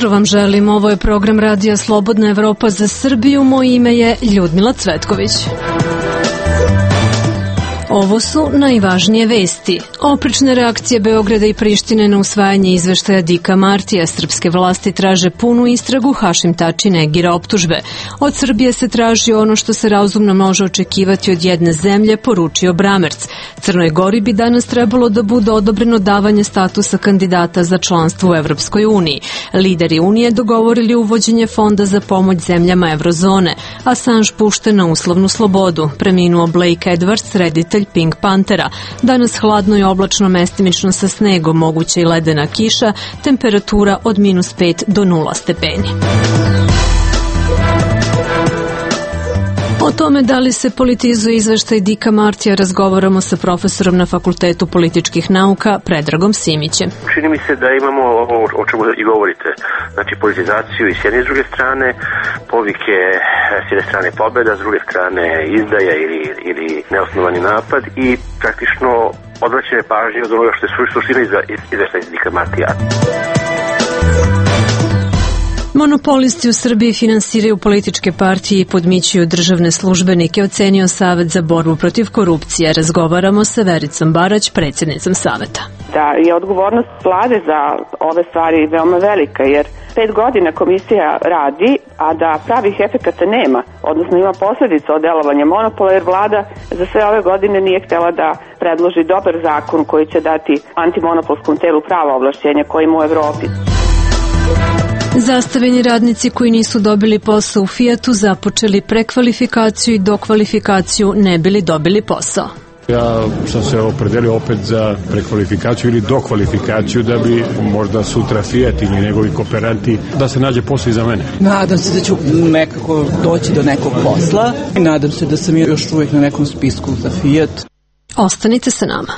jutro vam želim. Ovo je program Radija Slobodna Evropa za Srbiju. Moje ime je Ljudmila Cvetković. Ovo su najvažnije vesti. Oprečne reakcije Beograda i Prištine na usvajanje izveštaja Dika Martija. Srpske vlasti traže punu istragu, Hašim Tači negira optužbe. Od Srbije se traži ono što se razumno može očekivati od jedne zemlje, poručio Bramerc. Crnoj Gori bi danas trebalo da bude odobreno davanje statusa kandidata za članstvo u Evropskoj uniji. Lideri Unije dogovorili uvođenje fonda za pomoć zemljama Evrozone. Assange pušten na uslovnu slobodu. Preminuo Blake Edwards, reditelj Pink Panthera. Danas hladno i oblačno, mestimično sa snegom, moguća i ledena kiša, temperatura od -5 do 0 stepeni. O tome da li se politizuje izveštaj Dika Martija razgovaramo sa profesorom na Fakultetu političkih nauka Predragom Simićem. Čini mi se da imamo ovo o čemu i govorite, znači politizaciju i s jedne i s druge strane, povike s jedne strane pobjeda, s druge strane izdaja ili neosnovani napad i praktično odvraćanje pažnje od onoga što je suština izveštaja Dika Martija. Monopolisti u Srbiji finansiraju političke partije i podmićuju državne službenike, ocenio Savet za borbu protiv korupcije. Razgovaramo sa Vericom Barać, predsjednicom Saveta. Da je odgovornost vlade za ove stvari veoma velika, jer 5 godina komisija radi, a da pravih efekata nema, odnosno ima posljedica od delovanja monopola, jer vlada za sve ove godine nije htjela da predloži dobar zakon koji će dati antimonopolskom telu prava ovlašćenja koji ima u Evropi. Zastavljeni radnici koji nisu dobili posao u Fijatu započeli prekvalifikaciju i dokvalifikaciju ne bili dobili posao. Ja sam se opredelio opet za prekvalifikaciju ili dokvalifikaciju da bi možda sutra Fiat ili njegovi kooperanti da se nađe posao i za mene. Nadam se da ću nekako doći do nekog posla i nadam se da sam još uvijek na nekom spisku za Fiat. Ostanite sa nama.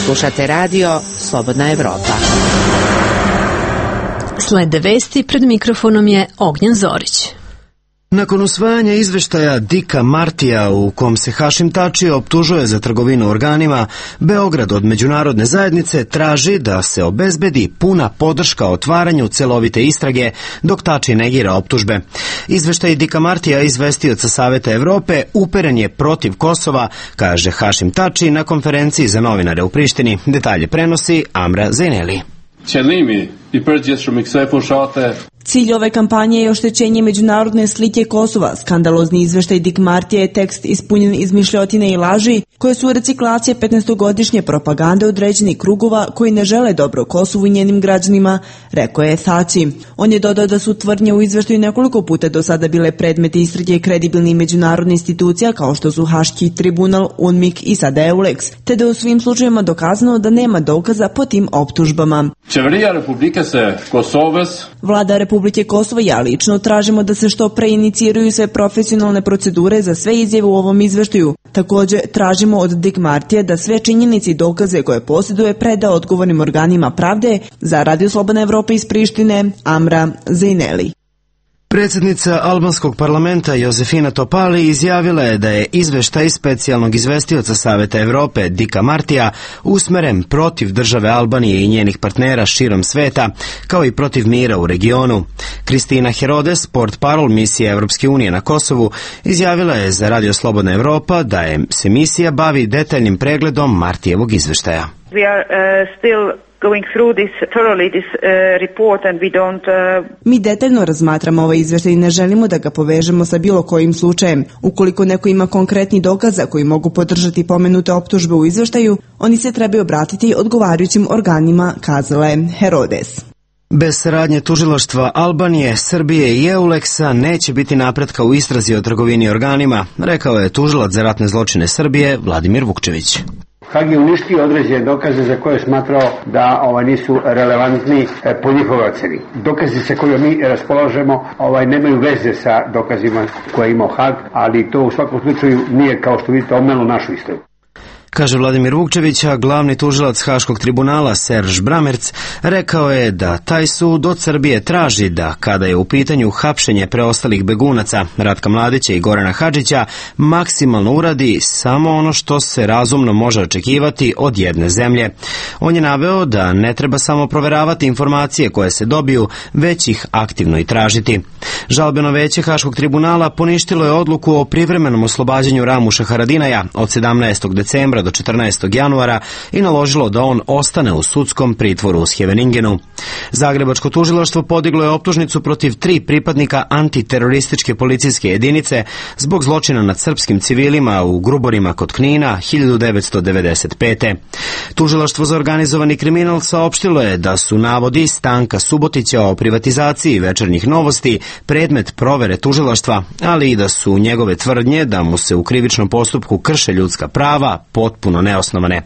Slušate radio Slobodna Evropa. Slede vesti, pred mikrofonom je Ognjen Zorić. Nakon usvajanja izveštaja Dika Martija u kom se Hašim Tači optužuje za trgovinu organima, Beograd od međunarodne zajednice traži da se obezbedi puna podrška otvaranju celovite istrage, dok Tači negira optužbe. Izveštaj Dika Martija, izvestioca Saveta Evrope, uperen je protiv Kosova, kaže Hašim Tači na konferenciji za novinare u Prištini. Detalje prenosi Amra Zejneli. Cilj ove kampanje je oštećenje međunarodne slike Kosova. Skandalozni izveštaj Dik Martija je tekst ispunjen izmišljotine i laži, koje su reciklacije 15-godišnje propagande određenih krugova koji ne žele dobro Kosovu i njenim građanima, rekao je Tači. On je dodao da su tvrdnje u izveštaju nekoliko puta do sada bile predmeti istrage kredibilnih međunarodnih institucija kao što su Haški tribunal, UNMIK i sada EULEX, te da u svim slučajevima dokazano da nema dokaza po tim optužbama. Vlada Republike Kosovo i ja lično tražimo da se što pre iniciraju sve profesionalne procedure za sve izjave u ovom izveštaju. Također tražimo od Dik Martija da sve činjenice i dokaze koje posjeduje preda odgovornim organima pravde. Za Radio Slobodna Evropa iz Prištine, Amra Zejneli. Predsjednica albanskog parlamenta Josefina Topali izjavila je da je izveštaj specijalnog izvestioca Saveta Evrope Dika Martija usmeren protiv države Albanije i njenih partnera širom sveta, kao i protiv mira u regionu. Kristina Herodes, portparol misije Evropske unije na Kosovu, izjavila je za Radio Slobodna Evropa da se misija bavi detaljnim pregledom Martijevog izveštaja. We are still going through this report and we don't Mi detaljno razmatramo ovaj izveštaj i ne želimo da ga povežemo sa bilo kojim slučajem. Ukoliko neko ima konkretni dokaza koji mogu podržati pomenute optužbe u izveštaju, oni se trebaju obratiti odgovarajućim organima, kazala je Herodes. Bez saradnje tužilaštva Albanije, Srbije i EULEX-a neće biti napretka u istrazi o trgovini organima, rekao je tužilac za ratne zločine Srbije Vladimir Vukčević. Hag je uništio određene dokaze za koje je smatrao da nisu relevantni po njihovoj oceni. Dokazi sa kojima mi raspolažemo nemaju veze sa dokazima koje je imao Hag, ali to u svakom slučaju nije, kao što vidite, omelo našu istragu. Kaže Vladimir Vukčević, a glavni tužilac Haškog tribunala Serž Bramerc rekao je da taj sud od Srbije traži da, kada je u pitanju hapšenje preostalih begunaca Ratka Mladića i Gorana Hadžića, maksimalno uradi samo ono što se razumno može očekivati od jedne zemlje. On je naveo da ne treba samo proveravati informacije koje se dobiju, već ih aktivno i tražiti. Žalbeno veće Haškog tribunala poništilo je odluku o privremenom oslobađanju Ramuša Haradinaja od 17. decembra do 14. januara i naložilo da on ostane u sudskom pritvoru u Scheveningenu. Zagrebačko tužilaštvo podiglo je optužnicu protiv 3 pripadnika antiterorističke policijske jedinice zbog zločina nad srpskim civilima u Gruborima kod Knina 1995. Tužilaštvo za organizovani kriminal saopštilo je da su navodi Stanka Subotića o privatizaciji Večernjih novosti predmet provere tužilaštva, ali i da su njegove tvrdnje da mu se u krivičnom postupku krše ljudska prava potpuno neosnovane.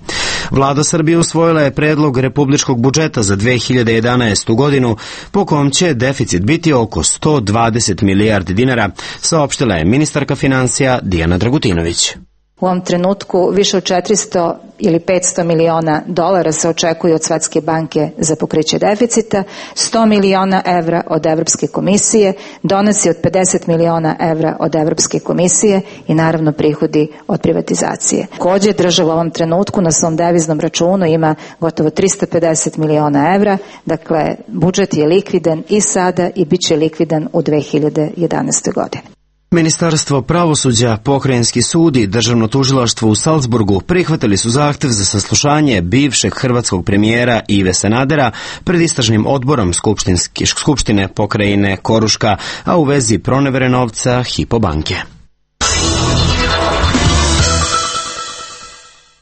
Vlada Srbije usvojila je predlog republičkog budžeta za 2011. godinu, po kom će deficit biti oko 120 milijardi dinara, saopštila je ministarka financija Dijana Dragutinović. U ovom trenutku više od 400 ili 500 miliona dolara se očekuje od Svetske banke za pokriće deficita, 100 miliona evra od Evropske komisije, donosi od 50 miliona evra od Evropske komisije i naravno prihodi od privatizacije. Takođe, država u ovom trenutku na svom deviznom računu ima gotovo 350 miliona evra, dakle budžet je likvidan i sada i bit će likvidan u 2011. godini. Ministarstvo pravosuđa, Pokrajinski sud i Državno tužilaštvo u Salzburgu prihvatili su zahtev za saslušanje bivšeg hrvatskog premijera Ive Sanadera pred istražnim odborom Skupštine pokrajine Koruška, a u vezi pronevere novca Hypo banke.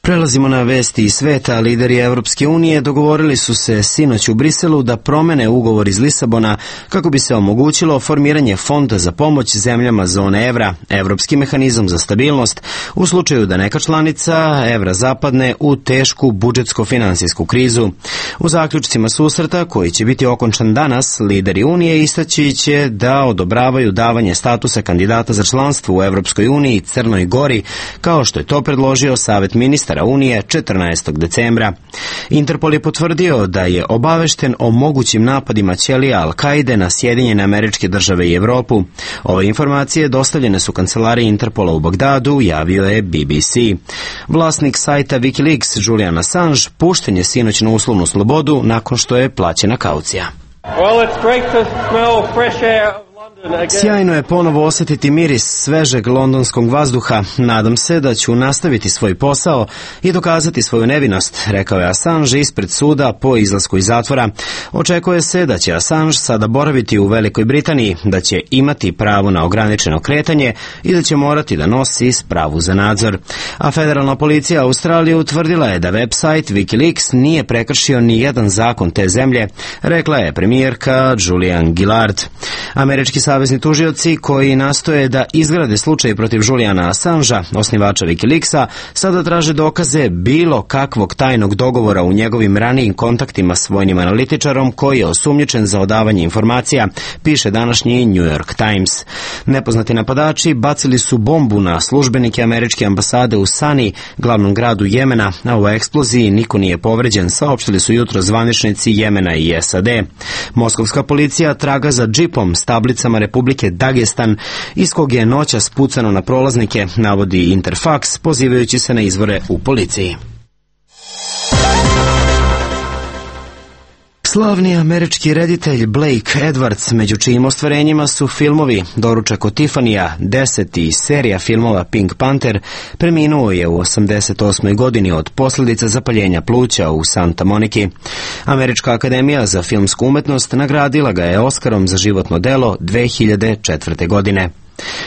Prelazimo na vesti iz sveta. Lideri Evropske unije dogovorili su se sinoć u Briselu da promene ugovor iz Lisabona kako bi se omogućilo formiranje fonda za pomoć zemljama zone evra, Evropski mehanizam za stabilnost, u slučaju da neka članica evra zapadne u tešku budžetsko-finansijsku krizu. U zaključcima susreta, koji će biti okončan danas, lideri Unije istaći će da odobravaju davanje statusa kandidata za članstvo u Evropskoj uniji Crnoj Gori, kao što je to predložio Savet ministara Unije 14. decembra. Interpol je potvrdio da je obavešten o mogućim napadima ćelija Al-Kaide na Sjedinjene Američke Države i Evropu. Ove informacije dostavljene su kancelariji Interpola u Bagdadu, javio je BBC. Vlasnik sajta Wikileaks Julian Assange pušten je sinoć na uslovnu slobodu nakon što je plaćena kaucija. Sjajno je ponovo osjetiti miris svežeg londonskog vazduha. Nadam se da ću nastaviti svoj posao i dokazati svoju nevinost, rekao je Assange ispred suda po izlasku iz zatvora. Očekuje se da će Assange sada boraviti u Velikoj Britaniji, da će imati pravo na ograničeno kretanje i da će morati da nosi spravu za nadzor. A federalna policija Australije utvrdila je da website Wikileaks nije prekršio ni jedan zakon te zemlje, rekla je premijerka Julian Gillard. Američki savezni tužioci koji nastoje da izgrade slučaj protiv Juliana Assangea, osnivača Wikileaksa, sada traže dokaze bilo kakvog tajnog dogovora u njegovim ranijim kontaktima s vojnim analitičarom koji je osumnjičen za odavanje informacija, piše današnji New York Times. Nepoznati napadači bacili su bombu na službenike američke ambasade u Sani, glavnom gradu Jemena, a u eksploziji niko nije povređen, saopštili su jutro zvaničnici Jemena i SAD. Moskovska policija traga za džipom s tablicama Republike Dagestan, iz kog je noćas pucano na prolaznike, navodi Interfax, pozivajući se na izvore u policiji. Slavni američki reditelj Blake Edwards, među čijim ostvarenjima su filmovi Doručak od Tifanija, 10 i serija filmova Pink Panther, preminuo je u 88. godini od posljedica zapaljenja pluća u Santa Moniki. Američka akademija za filmsku umetnost nagradila ga je Oskarom za životno delo 2004. godine.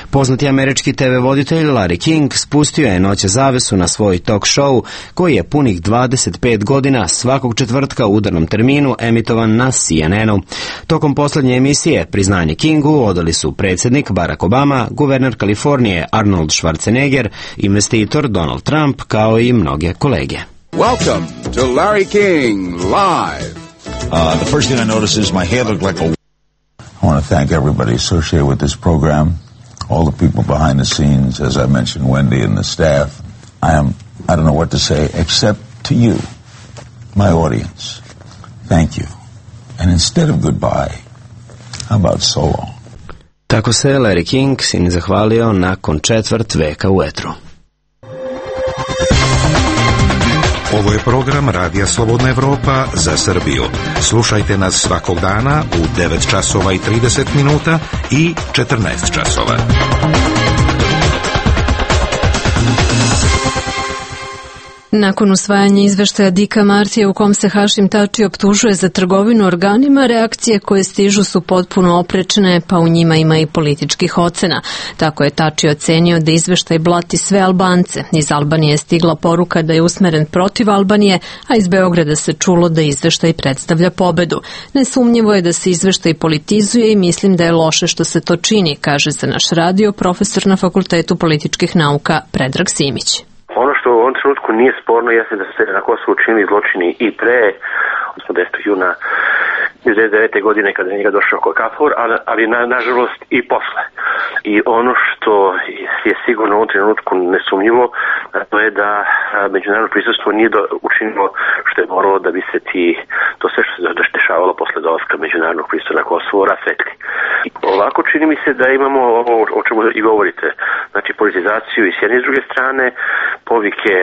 Poznati američki TV voditelj Larry King spustio je noće zavesu na svoj talk show koji je punih 25 godina svakog četvrtka u udarnom terminu emitovan na CNN-u. Tokom posljednje emisije priznanje Kingu odali su predsjednik Barack Obama, guverner Kalifornije Arnold Schwarzenegger, investitor Donald Trump kao i mnoge kolege. Welcome to Larry King Live. The first thing I noticed is my hair looked like a... I want to thank everybody associated with this program. All the people behind the scenes, as I mentioned, Wendy and the staff. I am I don't know what to say except to you, my audience. Thank you. And instead of goodbye, how about so long? Tako se Larry King sin zahvalio nakon četvrt veka u etru. Ovo je program Radija Slobodna Evropa za Srbiju. Slušajte nas svakog dana u 9 časova i 30 minuta i 14 časova. Nakon usvajanja izveštaja Dicka Martija u kom se Hašim Tači optužuje za trgovinu organima, reakcije koje stižu su potpuno oprečne, pa u njima ima i političkih ocena. Tako je Tači ocenio da izveštaj blati sve Albance. Iz Albanije je stigla poruka da je usmeren protiv Albanije, a iz Beograda se čulo da izveštaj predstavlja pobedu. Nesumnjivo je da se izveštaj politizuje i mislim da je loše što se to čini, kaže za naš radio profesor na Fakultetu političkih nauka Predrag Simić. Ono što u ovom trenutku nije sporno jeste da se na Kosovu čini zločini i pre, odnosno 10. juna 1999. godine kada je njega došao KFOR, ali nažalost i posle. I ono što je sigurno u ovom trenutku nesumnjivo, to je da međunarodno prisustvo nije učinilo što je moralo da bi se to sve što se dešavalo posle dolaska međunarodnog prisustva na Kosovo rasvetli. Ovako čini mi se da imamo ovo o čemu i govorite, znači politizaciju i s jedne i s druge strane, povike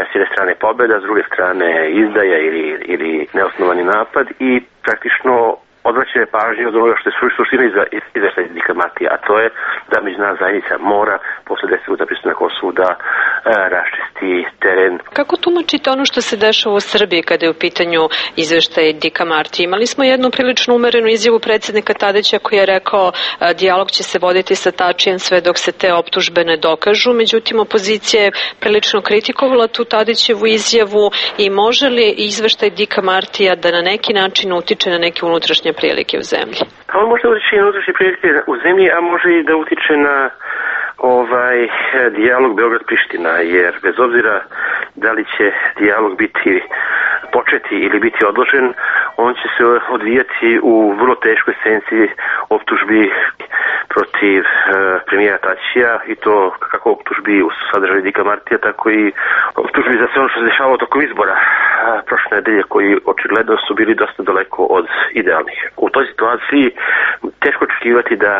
s jedne strane pobeda, s druge strane izdaja ili neosnovani napad i praktično odvraćanje pažnje od onoga što je suština izveštaja Dicka Martija, a to je da međunarodna zajednica mora posle 10 godina prisustva na Kosovu da raščisti teren. Kako tumačite ono što se dešava u Srbiji kada je u pitanju izveštaj Dicka Martija? Imali smo jednu prilično umerenu izjavu predsjednika Tadića koji je rekao dijalog će se voditi sa Tačijem sve dok se te optužbe ne dokažu, međutim opozicija je prilično kritikovala tu Tadićevu izjavu i može li izveštaj Dicka Martija da na neki način utiče na neke unutrašnje prilike u zemlji? On može da utiče na unutrašnje prilike u zemlji, a može i da utiče na dijalog Beograd-Priština, jer bez obzira da li će dijalog biti početi ili biti odložen, on će se odvijati u vrlo teškoj senci optužbi protiv premijera Tačija i to kako optužbi u sadržaju Dicka Martija, tako i optužbi za sve ono što se dešavalo tokom izbora prošle nedelje koji očigledno su bili dosta daleko od idealnih. U toj situaciji teško očekivati da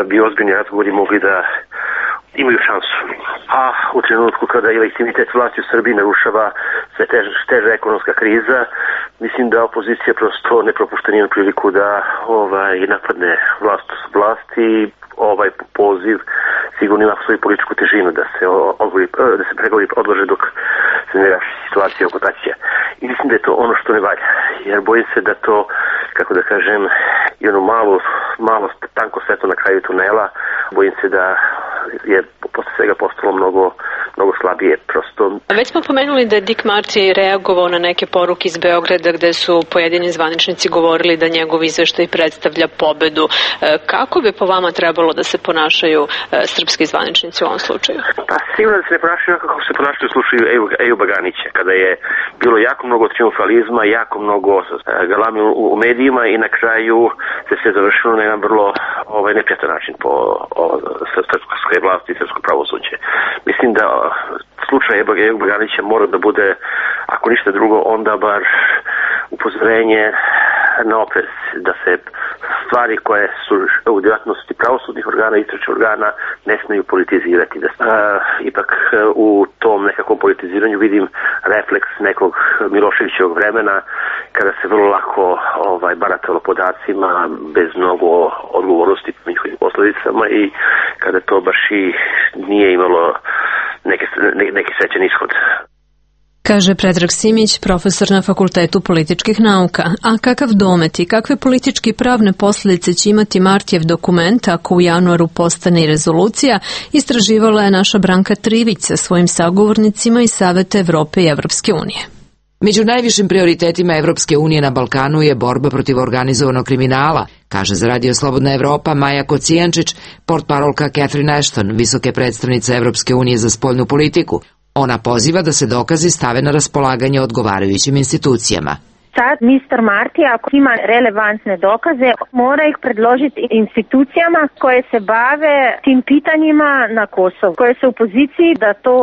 bi ozbiljni razgovori mogli da imaju šansu. A u trenutku kada je legitimitet vlasti u Srbiji narušava sve teža ekonomska kriza, mislim da opozicija prosto ne propušta nijednu priliku da napadne vlast i ovaj poziv sigurno ima svoju političku težinu da se pregovori odlože dok se ne raši situacija oko Tačija. I mislim da je to ono što ne valja, jer bojim se da to, kako da kažem, i ono malo tanko svetlo na kraju tunela, bojim se da je posle svega postalo mnogo slabije prosto. Već smo pomenuli da je Dick Marty reagovao na neke poruke iz Beograda gde su pojedini zvaničnici govorili da njegov izveštaj predstavlja pobedu. Kako bi po vama trebalo da se ponašaju srpski zvaničnici u ovom slučaju? Pa sigurno da se ne ponašaju kako se ponašaju u slučaju Ejuba Ganića, kada je bilo jako mnogo triumfalizma, jako mnogo galame u medijima i na kraju se sve završilo na jedan vrlo neprijatan način po srpskoj vlasti i srpsko pravosuđe. Mislim da slučaj Ejuba Ganića mora da bude, ako ništa drugo, onda bar upozorenje na oprez, da se stvari koje su u djelatnosti pravosudnih organa i istražnih organa ne smiju politizirati. Ipak u tom nekakvom politiziranju vidim refleks nekog Miloševićevog vremena kada se vrlo lako baratalo podacima bez mnogo odgovornosti po njihovim posljedicama i kada to baš i nije imalo neki srećan ishod. Kaže Predrag Simić, profesor na Fakultetu političkih nauka. A kakav domet i kakve politički pravne posljedice će imati Martijev dokument ako u januaru postane i rezolucija, istraživala je naša Branka Trivić sa svojim sagovornicima iz Saveta Evrope i Evropske unije. Među najvišim prioritetima Evropske unije na Balkanu je borba protiv organizovanog kriminala, kaže za Radio Slobodna Evropa Maja Kocijančić, portparolka Catherine Ashton, visoke predstavnice Evropske unije za spoljnu politiku. Ona poziva da se dokazi stave na raspolaganje odgovarajućim institucijama. Sad Mr. Marti, ako ima relevantne dokaze, mora ih predložiti institucijama koje se bave tim pitanjima na Kosovu, koje su u poziciji da to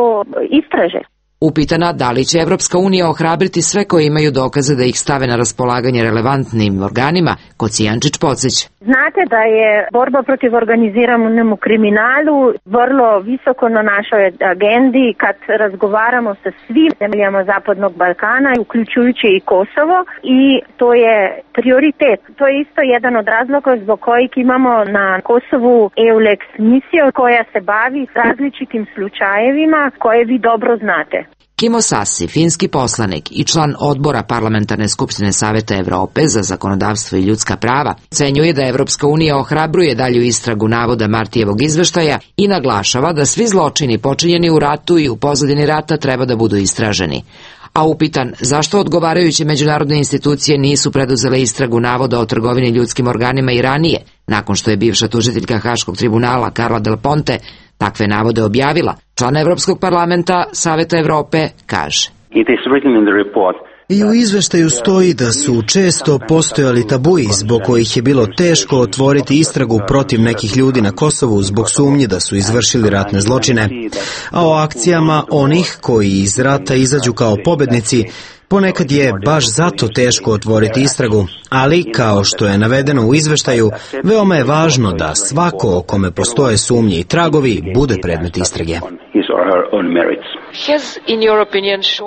istraže. Upitana da li će Evropska unija ohrabriti sve koji imaju dokaze da ih stave na raspolaganje relevantnim organima, Kocijančić podsjeća. Znate da je borba protiv organiziranom kriminalu vrlo visoko na našoj agendi kad razgovaramo sa svim zemljama Zapadnog Balkana, uključujući i Kosovo, i to je prioritet. To je isto jedan od razloga zbog kojih imamo na Kosovu EULEX misiju koja se bavi različitim slučajevima koje vi dobro znate. Kimo Sassi, finski poslanik i član odbora Parlamentarne skupštine Saveta Evrope za zakonodavstvo i ljudska prava, ocenjuje da Evropska unija ohrabruje dalju istragu navoda Martijevog izveštaja i naglašava da svi zločini počinjeni u ratu i u pozadini rata treba da budu istraženi. A upitan zašto odgovarajuće međunarodne institucije nisu preduzele istragu navoda o trgovini ljudskim organima i ranije, nakon što je bivša tužiteljka Haškog tribunala Carla Del Ponte takve navode objavila, član Evropskog parlamenta Saveta Evrope kaže: I u izveštaju stoji da su često postojali tabuji zbog kojih je bilo teško otvoriti istragu protiv nekih ljudi na Kosovu zbog sumnje da su izvršili ratne zločine, a o akcijama onih koji iz rata izađu kao pobednici ponekad je baš zato teško otvoriti istragu, ali, kao što je navedeno u izveštaju, veoma je važno da svako o kome postoje sumnje i tragovi bude predmet istrage.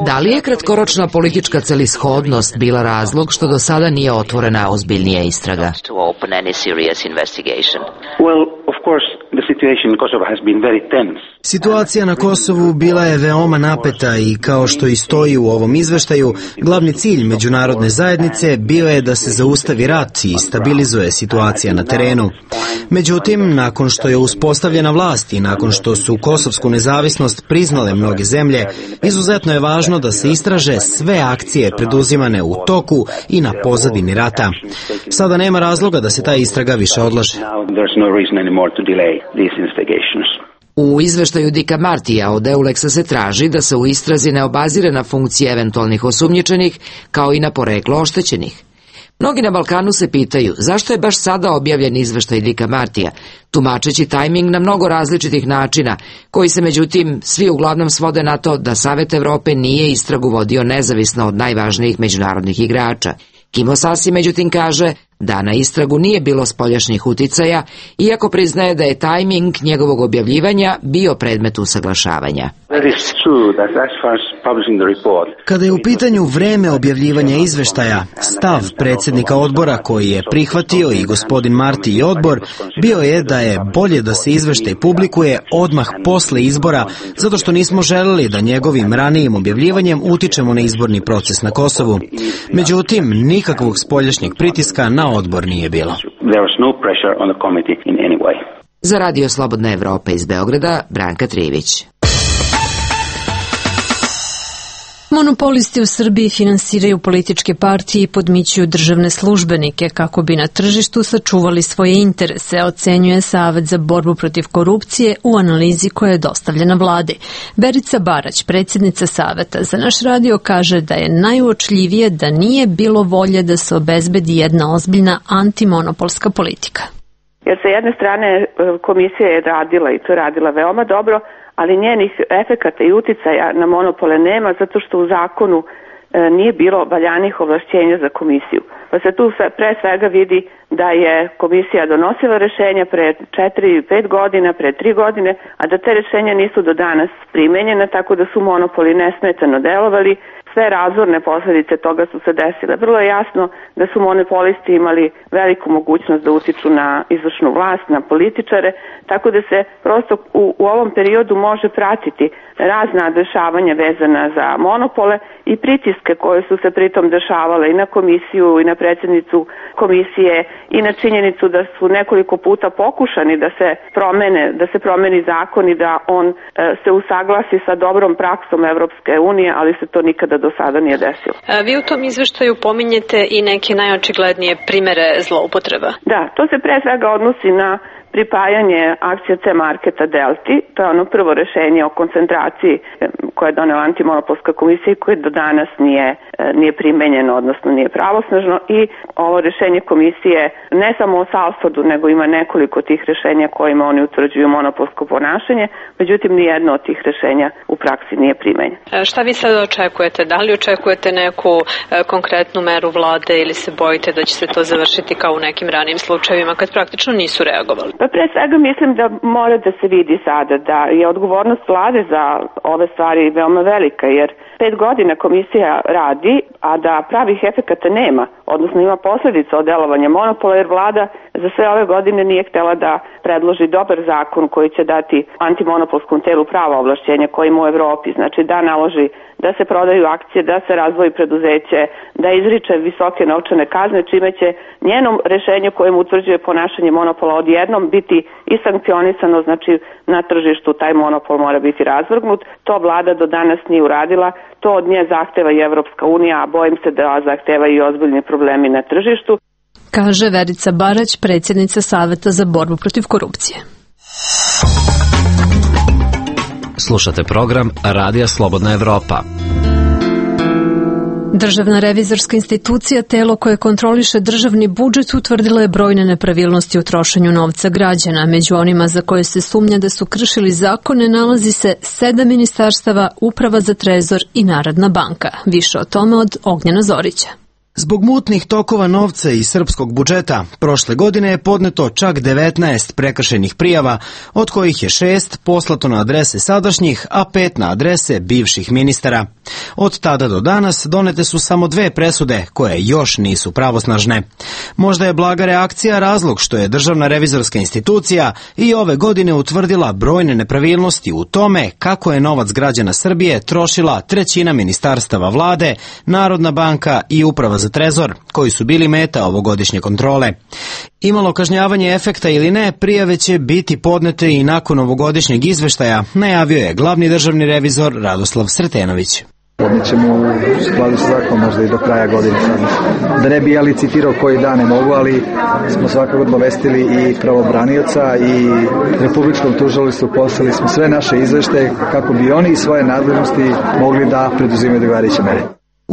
Da li je kratkoročna politička celishodnost bila razlog što do sada nije otvorena ozbiljnija istraga? Situacija na Kosovu bila je veoma napeta i, kao što i stoji u ovom izveštaju, glavni cilj međunarodne zajednice bio je da se zaustavi rat i stabilizuje situacija na terenu. Međutim, nakon što je uspostavljena vlast i nakon što su kosovsku nezavisnost priznale mnoge zemlje, izuzetno je važno da se istraže sve akcije preduzimane u toku i na pozadini rata. Sada nema razloga da se ta istraga više odlaže. U izveštaju Dicka Martija od EULEX-a se traži da se u istrazi ne obazire na funkcije eventualnih osumnjičenih, kao i na poreklo oštećenih. Mnogi na Balkanu se pitaju zašto je baš sada objavljen izveštaj Dicka Martija, tumačeći tajming na mnogo različitih načina, koji se međutim svi uglavnom svode na to da Savet Evrope nije istragu vodio nezavisno od najvažnijih međunarodnih igrača. Kimo Sassi međutim kaže da na istragu nije bilo spoljašnjih uticaja, iako priznaje da je tajming njegovog objavljivanja bio predmet usaglašavanja. Kada je u pitanju vreme objavljivanja izveštaja, stav predsjednika odbora koji je prihvatio i gospodin Marti i odbor bio je da je bolje da se izveštaj publikuje odmah posle izbora, zato što nismo želeli da njegovim ranijim objavljivanjem utičemo na izborni proces na Kosovu. Međutim, nikakvog spoljašnjeg pritiska na odbor nije bilo. Za Radio Slobodna Evropa iz Beograda, Branka Trivić. Monopolisti u Srbiji finansiraju političke partije i podmićuju državne službenike kako bi na tržištu sačuvali svoje interese, ocenjuje Savet za borbu protiv korupcije u analizi koja je dostavljena vladi. Berica Barać, predsjednica Saveta, za naš radio kaže da je najuočljivije da nije bilo volje da se obezbedi jedna ozbiljna antimonopolska politika. Jer sa jedne strane komisija je radila i to radila veoma dobro, ali njenih efekata i uticaja na monopole nema zato što u zakonu nije bilo valjanih ovlašćenja za komisiju. Pa se tu pre svega vidi da je komisija donosila rešenja pre 4-5 godina, pre 3 godine, a da te rešenja nisu do danas primenjena, tako da su monopoli nesmetano delovali. Sve razorne posljedice toga su se desile. Vrlo je jasno da su monopolisti imali veliku mogućnost da utiču na izvršnu vlast, na političare, tako da se prosto u ovom periodu može pratiti razna dešavanja vezana za monopole i pritiske koje su se pritom dešavale i na komisiju i na predsjednicu komisije i na činjenicu da su nekoliko puta pokušani da se promeni zakon i da on se usaglasi sa dobrom praksom Evropske unije, ali se to nikada do sada nije desilo. Vi u tom izveštaju pominjete i neke najočiglednije primere zloupotreba. Da, to se pre svega odnosi na pripajanje akcija C-Marketa Delti, to je ono prvo rešenje o koncentraciji kvalifikaciji koje je donela antimonopolska komisija i koje do danas nije primenjeno, odnosno nije pravosnažno, i ovo rešenje komisije ne samo o Salfordu, nego ima nekoliko tih rešenja kojima oni utvrđuju monopolsko ponašanje, međutim nijedno od tih rešenja u praksi nije primenjeno. Šta vi sada očekujete? Da li očekujete neku konkretnu meru vlade ili se bojite da će se to završiti kao u nekim ranijim slučajevima kad praktično nisu reagovali? Pa pre svega mislim da mora da se vidi sada da je odgovornost vlade za ove stvari veoma velika, jer 5 godina komisija radi, a da pravih efekata nema, odnosno ima posledica od delovanja monopola, jer vlada za sve ove godine nije htela da predloži dobar zakon koji će dati antimonopolskom telu prava ovlašćenja koji ima u Evropi, znači da naloži da se prodaju akcije, da se razvoji preduzeće, da izriče visoke novčane kazne, čime će njenom rešenju kojim utvrđuje ponašanje monopola odjednom biti i sankcionisano, znači na tržištu taj monopol mora biti razvrgnut. To vlada do danas nije uradila, to od nje zahteva i Evropska unija, a bojim se da zahteva i ozbiljni problemi na tržištu. Kaže Verica Barać, predsjednica Saveta za borbu protiv korupcije. Slušate program Radija Slobodna Evropa. Državna revizorska institucija, telo koje kontroliše državni budžet, utvrdila je brojne nepravilnosti u trošenju novca građana. Među onima za koje se sumnja da su kršili zakone nalazi se 7 ministarstava, Uprava za trezor i Narodna banka. Više o tome od Ognjena Zorića. Zbog mutnih tokova novca iz srpskog budžeta, prošle godine je podneto čak 19 prekršajnih prijava, od kojih je 6 poslato na adrese sadašnjih, a 5 na adrese bivših ministara. Od tada do danas donete su samo 2 presude, koje još nisu pravosnažne. Možda je blaga reakcija razlog što je Državna revizorska institucija i ove godine utvrdila brojne nepravilnosti u tome kako je novac građana Srbije trošila trećina ministarstava vlade, Narodna banka i Uprava za trezor, koji su bili meta ovogodišnje kontrole. Imalo kažnjavanje efekta ili ne, prijave će biti podnete i nakon ovogodišnjeg izveštaja, najavio je glavni državni revizor Radoslav Sretenović. Podnećemo u skladu sa zakonom možda i do kraja godine. Da ne bi ja licitirao koji dan ne mogu, ali smo svakako obavestili i pravobranioca i Republičkom tužilaštvu, poslali smo sve naše izveštaje kako bi oni svoje nadležnosti mogli da preduzimaju odgovarajuće mere.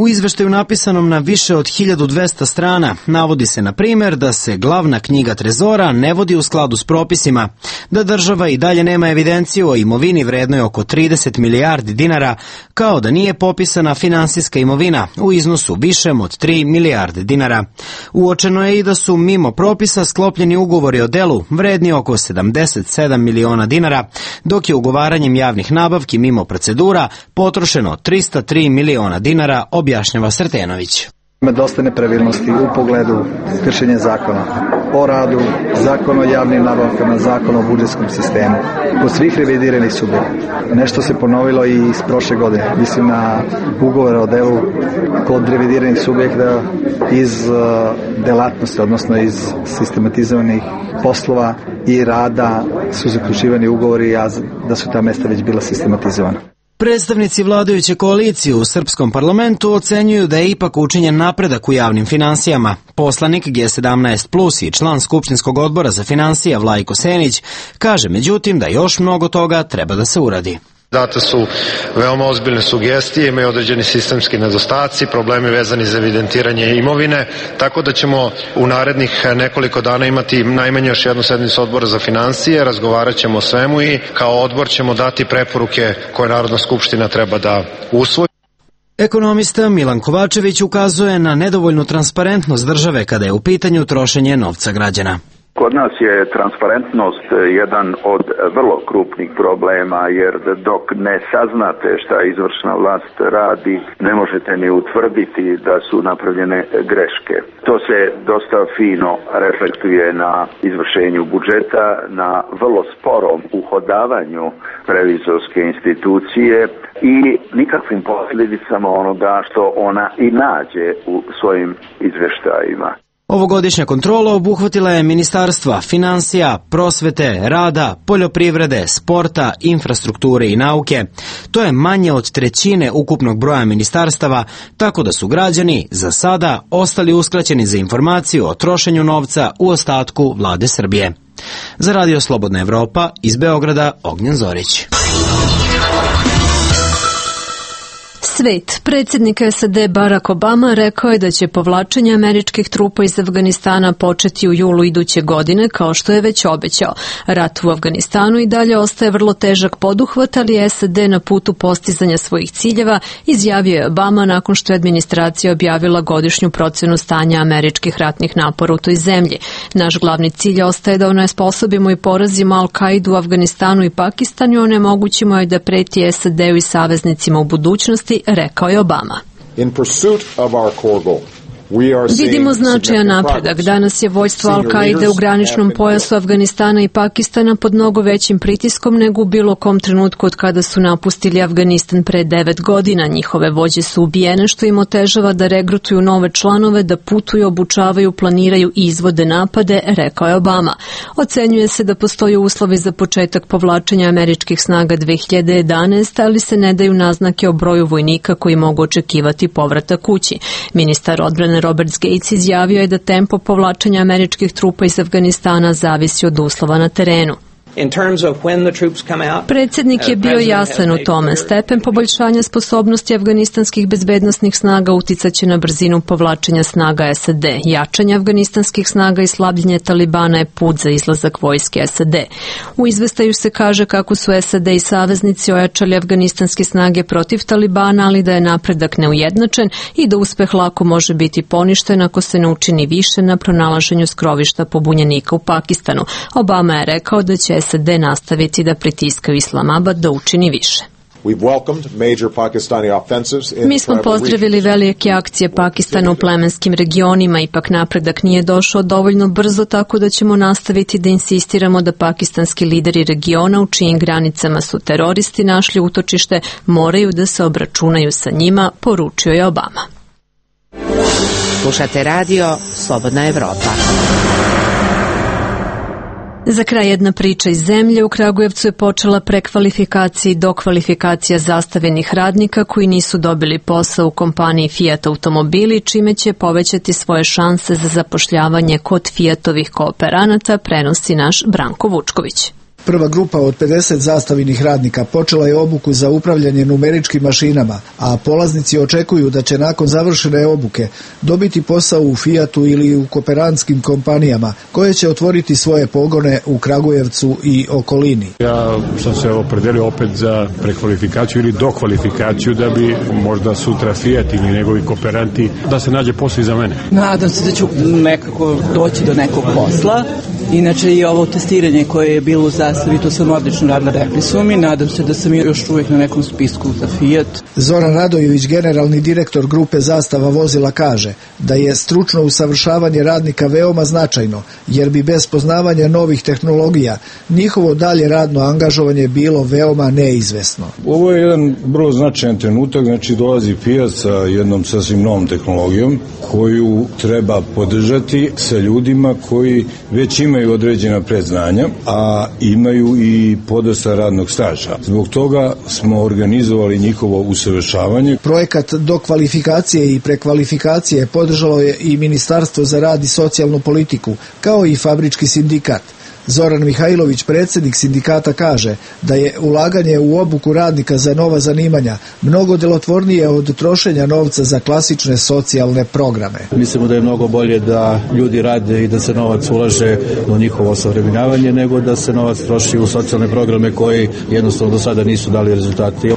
U izveštaju napisanom na više od 1200 strana navodi se, na primjer, da se glavna knjiga trezora ne vodi u skladu s propisima, da država i dalje nema evidenciju o imovini vrednoj oko 30 milijardi dinara, kao da nije popisana finansijska imovina u iznosu višem od 3 milijarde dinara. Uočeno je i da su mimo propisa sklopljeni ugovori o delu vredni oko 77 miliona dinara, dok je ugovaranjem javnih nabavki mimo procedura potrošeno 303 miliona dinara, objašnjava Sretenović. Ima dosta nepravilnosti u pogledu kršenja zakona o radu, zakon o javnim nabavkama, zakon o budžetskom sistemu. Kod svih revidiranih subjekata. Nešto se ponovilo i iz prošle godine. Mislim na ugovore o delu kod revidiranih subjekata iz delatnosti, odnosno iz sistematizovanih poslova i rada su zaključivani ugovori, a da su ta mesta već bila sistematizovana. Predstavnici vladajuće koalicije u srpskom parlamentu ocenjuju da je ipak učinjen napredak u javnim finansijama. Poslanik G17+ i član Skupštinskog odbora za finansije Vlajko Senić kaže međutim da još mnogo toga treba da se uradi. Date su veoma ozbiljne sugestije, imaju određeni sistemski nedostaci, problemi vezani za evidentiranje imovine, tako da ćemo u narednih nekoliko dana imati najmanje još jednu sednicu odbora za finansije, razgovarat ćemo o svemu i kao odbor ćemo dati preporuke koje Narodna skupština treba da usvoji. Ekonomista Milan Kovačević ukazuje na nedovoljnu transparentnost države kada je u pitanju trošenje novca građana. Kod nas je transparentnost jedan od vrlo krupnih problema, jer dok ne saznate šta izvršna vlast radi, ne možete ni utvrditi da su napravljene greške. To se dosta fino reflektuje na izvršenju budžeta, na vrlo sporom uhodavanju revizorske institucije i nikakvim posljedicama onoga što ona i nađe u svojim izveštajima. Ovogodišnja kontrola obuhvatila je ministarstva finansija, prosvete, rada, poljoprivrede, sporta, infrastrukture i nauke. To je manje od trećine ukupnog broja ministarstava, tako da su građani za sada ostali uskraćeni za informaciju o trošenju novca u ostatku vlade Srbije. Za Radio Slobodna Evropa iz Beograda, Ognjen Zorić. Svet. Predsjednik SAD Barack Obama rekao je da će povlačenje američkih trupa iz Afganistana početi u julu iduće godine, kao što je već obećao. Rat u Afganistanu i dalje ostaje vrlo težak poduhvat, ali je SAD na putu postizanja svojih ciljeva, izjavio je Obama nakon što je administracija objavila godišnju procenu stanja američkih ratnih napora u toj zemlji. Naš glavni cilj ostaje da onesposobimo i porazimo Al-Kaidu u Afganistanu i Pakistanu i onemogućimo je da preti SAD-u i saveznicima u budućnosti, rekao je Obama. Vidimo značajan napredak. Danas je vođstvo Al-Kaide u graničnom pojasu Afganistana i Pakistana pod mnogo većim pritiskom nego u bilo kom trenutku od kada su napustili Afganistan pre 9 godina. Njihove vođe su ubijene, što im otežava da regrutuju nove članove, da putuju, obučavaju, planiraju i izvode napade, rekao je Obama. Ocenjuje se da postoje uslovi za početak povlačenja američkih snaga 2011, ali se ne daju naznake o broju vojnika koji mogu očekivati povratak kući. Ministar odbrane Robert Gates izjavio je da tempo povlačenja američkih trupa iz Afganistana zavisi od uslova na terenu. Predsjednik je bio jasan u tome. Stepen poboljšanja sposobnosti afganistanskih bezbednosnih snaga uticaće na brzinu povlačenja snaga SAD. Jačanje afganistanskih snaga i slabljenje Talibana je put za izlazak vojske SAD. U izveštaju se kaže kako su SAD i saveznici ojačali afganistanske snage protiv Talibana, ali da je napredak neujednačen i da uspeh lako može biti poništen ako se ne učini više na pronalaženju skrovišta pobunjenika u Pakistanu. Obama je rekao da će SAD nastaviti da pritiskaju Islamabad da učini više. Mi smo pozdravili velike akcije Pakistana u plemenskim regionima, ipak napredak nije došao dovoljno brzo, tako da ćemo nastaviti da insistiramo da pakistanski lideri regiona u čijim granicama su teroristi našli utočište moraju da se obračunaju sa njima, poručio je Obama. Slušate radio Slobodna Evropa. Za kraj jedna priča iz zemlje. U Kragujevcu je počela prekvalifikacija i dokvalifikacija zastavenih radnika koji nisu dobili posao u kompaniji Fiat automobili, čime će povećati svoje šanse za zapošljavanje kod Fiatovih kooperanata, prenosi naš Branko Vučković. Prva grupa od 50 zastavenih radnika počela je obuku za upravljanje numeričkim mašinama, a polaznici očekuju da će nakon završene obuke dobiti posao u Fiatu ili u kooperantskim kompanijama koje će otvoriti svoje pogone u Kragujevcu i okolini. Ja sam se opredelio opet za prekvalifikaciju ili dokvalifikaciju da bi možda sutra Fiat ili njegovi kooperanti da se nađe posao i za mene. Nadam se da ću nekako doći do nekog posla. Inače i ovo testiranje koje je bilo u Zastavi, to sam odlično radila, rekli su mi. Nadam se da sam još uvijek na nekom spisku za Fiat. Zoran Radojević, generalni direktor grupe Zastava vozila, kaže da je stručno usavršavanje radnika veoma značajno, jer bi bez poznavanja novih tehnologija njihovo dalje radno angažovanje bilo veoma neizvesno. Ovo je jedan vrlo značajan trenutak, znači dolazi Fiat sa jednom sasvim novom tehnologijom koju treba podržati sa ljudima koji već imaju određena predznanja, a imaju i podosta radnog staža. Zbog toga smo organizovali njihovo usavršavanje. Projekat dokvalifikacije i prekvalifikacije podržalo je i Ministarstvo za rad i socijalnu politiku, kao i Fabrički sindikat. Zoran Mihajlović, predsjednik sindikata, kaže da je ulaganje u obuku radnika za nova zanimanja mnogo delotvornije od trošenja novca za klasične socijalne programe. Mislimo da je mnogo bolje da ljudi rade i da se novac ulaže u njihovo osavremenjavanje nego da se novac troši u socijalne programe koji jednostavno do sada nisu dali rezultate.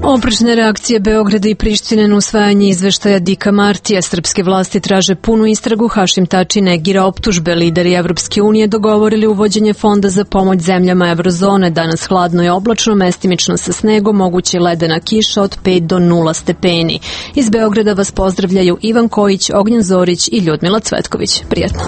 Oprečne reakcije Beograda i Prištine na usvajanje izveštaja Dika Martija. Srpske vlasti traže punu istragu, Hašim Tači negira optužbe. Lideri Evropske unije dogovorili uvođenje fonda za pomoć zemljama Evrozone. Danas hladno i oblačno, mestimično sa snegom, moguće ledena kiša od 5 do 0 stepeni. Iz Beograda vas pozdravljaju Ivan Kojić, Ognjen Zorić i Ljudmila Cvetković. Prijetno.